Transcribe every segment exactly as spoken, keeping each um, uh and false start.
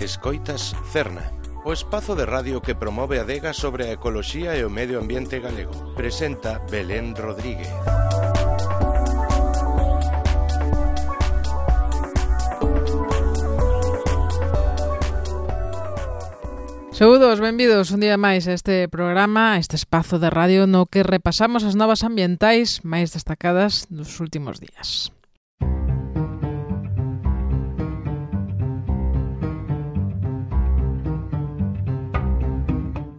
Escoitas Cerna, o espazo de radio que promove a adega sobre a ecoloxía e o medio ambiente galego. Presenta Belén Rodríguez. Saúdos, benvidos un día máis a este programa, a este espazo de radio no que repasamos as novas ambientais máis destacadas dos últimos días.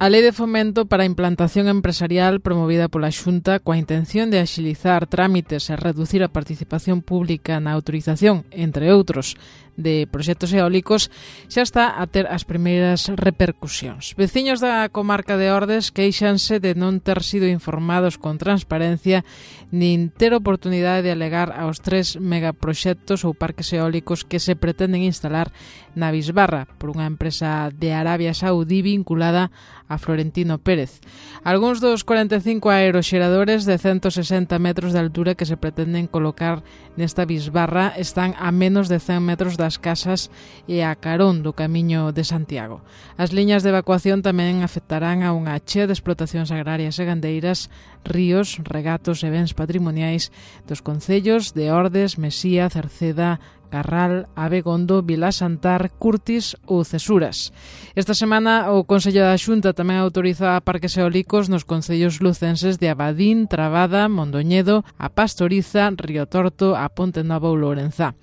A Lei de Fomento para a Implantación Empresarial promovida pola Xunta coa intención de axilizar trámites e reducir a participación pública na autorización, entre outros, de proxectos eólicos, xa está a ter as primeiras repercusións. Veciños da comarca de Ordes queixanse de non ter sido informados con transparencia nin ter oportunidade de alegar aos tres megaproxectos ou parques eólicos que se pretenden instalar na Bisbarra por unha empresa de Arabia Saudí vinculada a Florentino Pérez. Algúns dos cuarenta e cinco aeroxeradores de ciento sesenta metros de altura que se pretenden colocar nesta Bisbarra están a menos de cen metros das casas e a carón do Camiño de Santiago. As liñas de evacuación tamén afectarán a unha chea de explotacións agrarias e gandeiras, ríos, regatos e bens patrimoniais dos concellos de Ordes, Mesía, Cerceda, Carral, Abegondo, Vilasantar, Curtis ou Cesuras. Esta semana o Consello da Xunta tamén autoriza parques eólicos nos concellos lucenses de Abadín, Trabada, Mondoñedo, a Pastoriza, Río Torto, a Ponte Nova ou Lourenzá.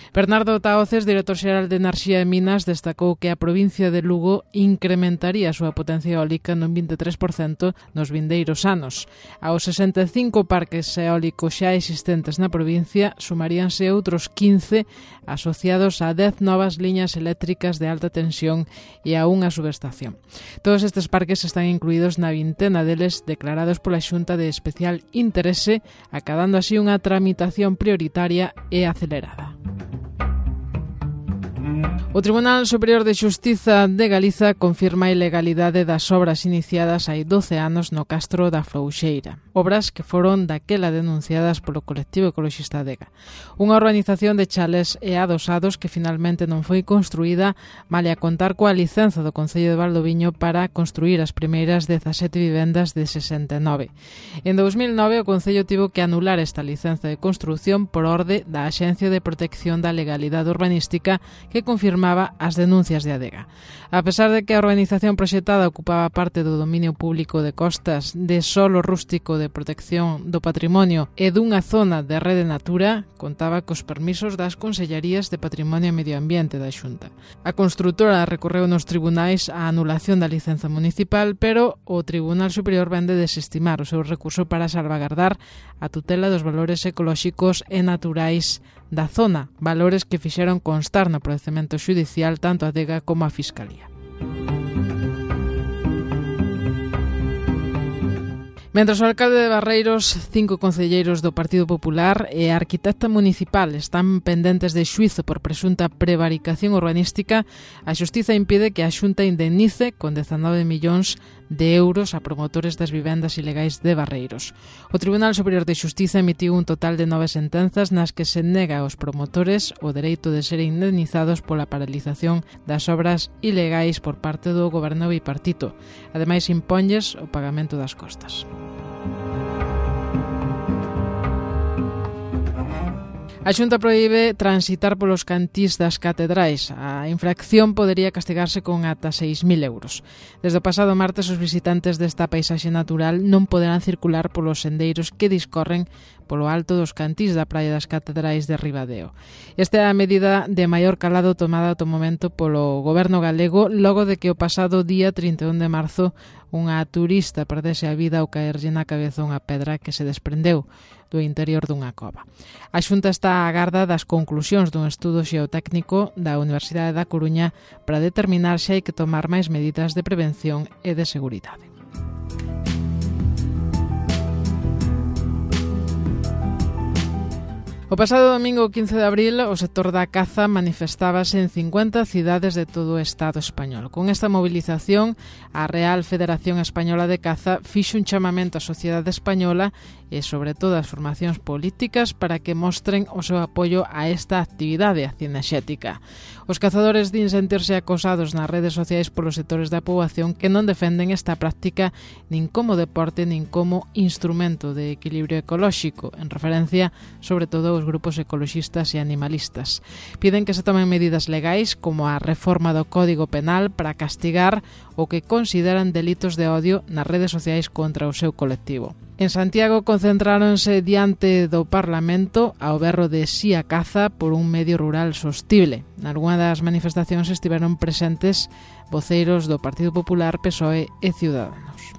Bernardo Tahoces, director xeral de Enerxía e Minas, destacou que a provincia de Lugo incrementaría a súa potencia eólica nun vinte e tres por cento nos vindeiros anos. Aos sesenta e cinco parques eólicos xa existentes na provincia sumaríanse outros quince asociados a dez novas liñas eléctricas de alta tensión e a unha subestación. Todos estes parques están incluídos na vintena deles declarados pola Xunta de especial interese, acadando así unha tramitación prioritaria e acelerada. O Tribunal Superior de Xustiza de Galiza confirma a ilegalidade das obras iniciadas hai doce anos no Castro da Frouxeira. Obras que foron daquela denunciadas polo colectivo ecoloxista Adega. Unha organización de chalés e adosados que finalmente non foi construída male a contar coa licenza do Concello de Valdoviño para construir as primeiras dezasete vivendas de sesenta e nove. En dous mil nove o Concello tivo que anular esta licenza de construción por orde da Axencia de Protección da Legalidade Urbanística que confirmaba as denuncias de Adega. A pesar de que a organización proxectada ocupaba parte do dominio público de costas, de solo rústico de protección do patrimonio e dunha zona de rede natura, contaba cos permisos das Consellarías de Patrimonio e Medio Ambiente da Xunta. A construtora recorreu nos tribunais a anulación da licenza municipal, pero o Tribunal Superior vende desestimar o seu recurso para salvagardar a tutela dos valores ecolóxicos e naturais da zona, valores que fixeron constar no procedemento xudicial tanto a Adega como a Fiscalía. Mentres o alcalde de Barreiros, cinco concelleiros do Partido Popular e a arquitecta municipal están pendentes de xuízo por presunta prevaricación urbanística, a Xustiza impide que a Xunta indemnice con dezanove millóns de euros a promotores das vivendas ilegais de Barreiros. O Tribunal Superior de Xustiza emitiu un total de nove sentenzas nas que se nega aos promotores o dereito de ser indemnizados pola paralización das obras ilegais por parte do goberno bipartito. Ademais, imponlles o pagamento das costas. A Xunta proíbe transitar polos cantís das catedrais. A infracción podería castigarse con ata seis mil euros. Desde o pasado martes, os visitantes desta paisaxe natural non poderán circular polos sendeiros que discorren polo alto dos cantís da Praia das Catedrais de Ribadeo. Esta é a medida de maior calado tomada ata o momento polo goberno galego logo de que o pasado día trinta e un de marzo unha turista perdese a vida ao caerlle na cabeza unha pedra que se desprendeu do interior dunha cova. A Xunta está á agarda das conclusións dun estudo xeotécnico da Universidade da Coruña para determinar se hai que tomar máis medidas de prevención e de seguridade. O pasado domingo quince de abril, o sector da caza manifestábase en cincuenta cidades de todo o Estado español. Con esta movilización, a Real Federación Española de Caza fixo un chamamento á sociedade española e sobre todo as formacións políticas para que mostren o seu apoio a esta actividade cinexética. Os cazadores din sentirse acosados nas redes sociais polos sectores da poboación que non defenden esta práctica nin como deporte nin como instrumento de equilibrio ecolóxico, en referencia sobre todo os grupos ecoloxistas e animalistas. Piden que se tomen medidas legais como a reforma do Código Penal para castigar o que consideran delitos de odio nas redes sociais contra o seu colectivo. En Santiago concentráronse diante do Parlamento ao berro de Si a caza por un medio rural sostible. Nalgúna das manifestacións estiveron presentes voceiros do Partido Popular, P S O E e Ciudadanos.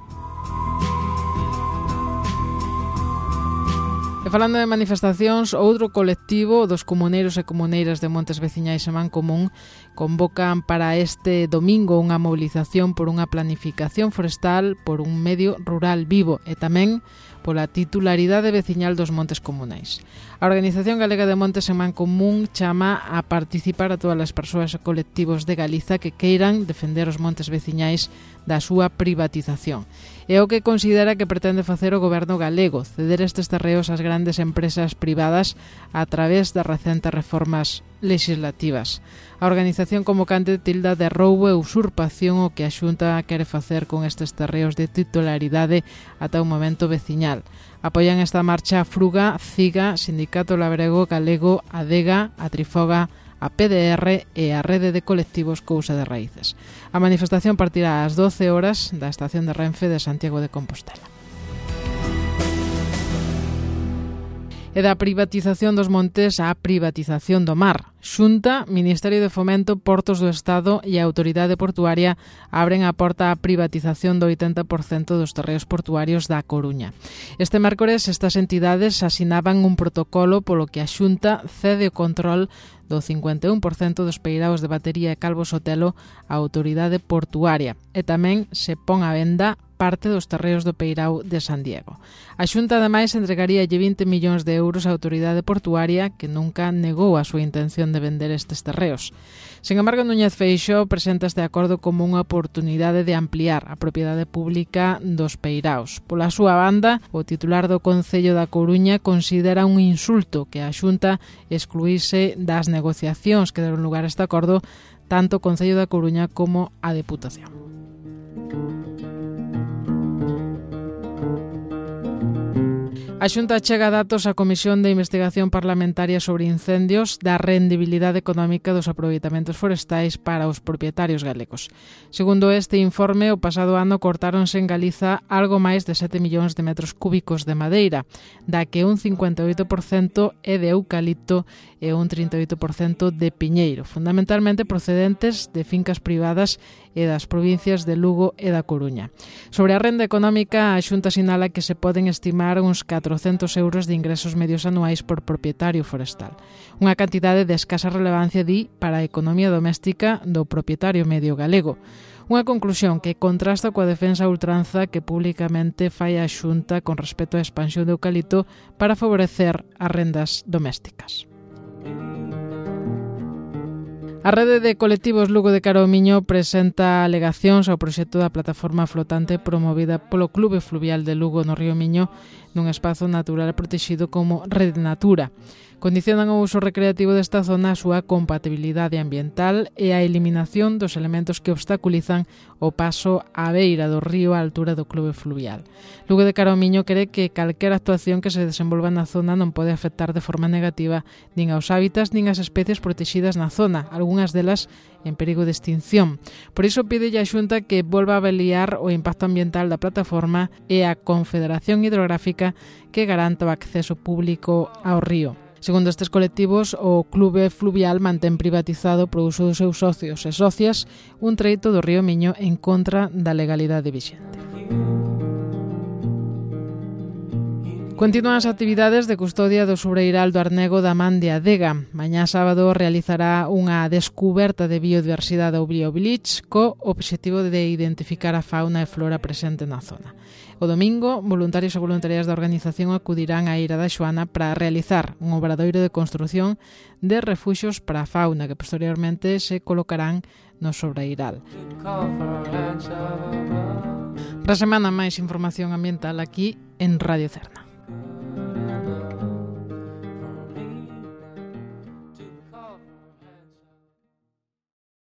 E falando de manifestacións, outro colectivo dos comuneiros e comuneiras de Montes Veciñais e Mancomún convocan para este domingo unha movilización por unha planificación forestal por un medio rural vivo e tamén pola titularidade veciñal dos montes comunais. A Organización Galega de Montes en Mancomún chama a participar a todas as persoas e colectivos de Galiza que queiran defender os montes veciñais da súa privatización. É o que considera que pretende facer o goberno galego, ceder estes terreos ás grandes empresas privadas a través das recentes reformas legislativas. A organización convocante tilda de roubo e usurpación o que a Xunta quere facer con estes terreos de titularidade ata un momento veciñal. Apoian esta marcha a Fruga, CIGA, Sindicato Labrego Galego, ADEGA, a Trifoga, a P D R e a Rede de Colectivos Cousa de Raíces. A manifestación partirá ás doce horas da estación de Renfe de Santiago de Compostela. E da privatización dos montes á privatización do mar. Xunta, Ministerio de Fomento, Portos do Estado e a Autoridade Portuaria abren a porta á privatización do oitenta por cento dos terreos portuarios da Coruña. Este mércores estas entidades asinaban un protocolo polo que a Xunta cede o control do cincuenta e un por cento dos peiraos de Batería e Calvo Sotelo á Autoridade Portuaria e tamén se pon á venda parte dos terreos do peirao de San Diego. A Xunta, ademais, entregaríalle vinte millóns de euros á Autoridade Portuaria, que nunca negou a súa intención de vender estes terreos. Sen embargo, Núñez Feixóo presenta este acordo como unha oportunidade de ampliar a propiedade pública dos peiraos. Pola súa banda, o titular do Concello da Coruña considera un insulto que a Xunta excluíse das negociacións que deron lugar a este acordo tanto o Concello da Coruña como a Deputación. A Xunta chega datos á Comisión de Investigación Parlamentaria sobre Incendios da rendibilidade económica dos aproveitamentos forestais para os propietarios galegos. Segundo este informe, o pasado ano cortáronse en Galiza algo máis de sete millóns de metros cúbicos de madeira, da que un cincuenta e oito por cento é de eucalipto e un trinta e oito por cento de piñeiro, fundamentalmente procedentes de fincas privadas e das provincias de Lugo e da Coruña. Sobre a renda económica, a Xunta sinala que se poden estimar uns catrocentos euros de ingresos medios anuais por propietario forestal. Unha cantidade de escasa relevancia, di, para a economía doméstica do propietario medio galego. Unha conclusión que contrasta coa defensa a ultranza que públicamente fai a Xunta con respecto á expansión do eucalipto para favorecer as rendas domésticas. A Rede de Colectivos Lugo de Caromiño presenta alegacións ao proxecto da plataforma flotante promovida polo Clube Fluvial de Lugo no Río Miño nun espazo natural protegido como Rede Natura. Condicionan o uso recreativo desta zona a súa compatibilidade ambiental e a eliminación dos elementos que obstaculizan o paso á beira do río á altura do Clube Fluvial. Lugo de Caromiño cree que calquera actuación que se desenvolva na zona non pode afectar de forma negativa nin aos hábitats nin ás especies protegidas na zona, algunhas delas en perigo de extinción. Por iso pídelle a Xunta que volva a avaliar o impacto ambiental da plataforma e a Confederación Hidrográfica que garanta o acceso público ao río. Segundo estes colectivos, o Clube Fluvial mantén privatizado pro uso dos seus socios e socias un treito do río Miño en contra da legalidade vixente. Continúan as actividades de custodia do sobreiral do Arnego da Man de Adega. Mañá sábado realizará unha descuberta de biodiversidade ao Biovillage co obxectivo de identificar a fauna e flora presente na zona. O domingo, voluntarios e voluntarias da organización acudirán á Eira da Xoana para realizar un obradoiro de construción de refuxios para a fauna que posteriormente se colocarán no sobreiral. Para a semana máis información ambiental aquí en Radio Cerna.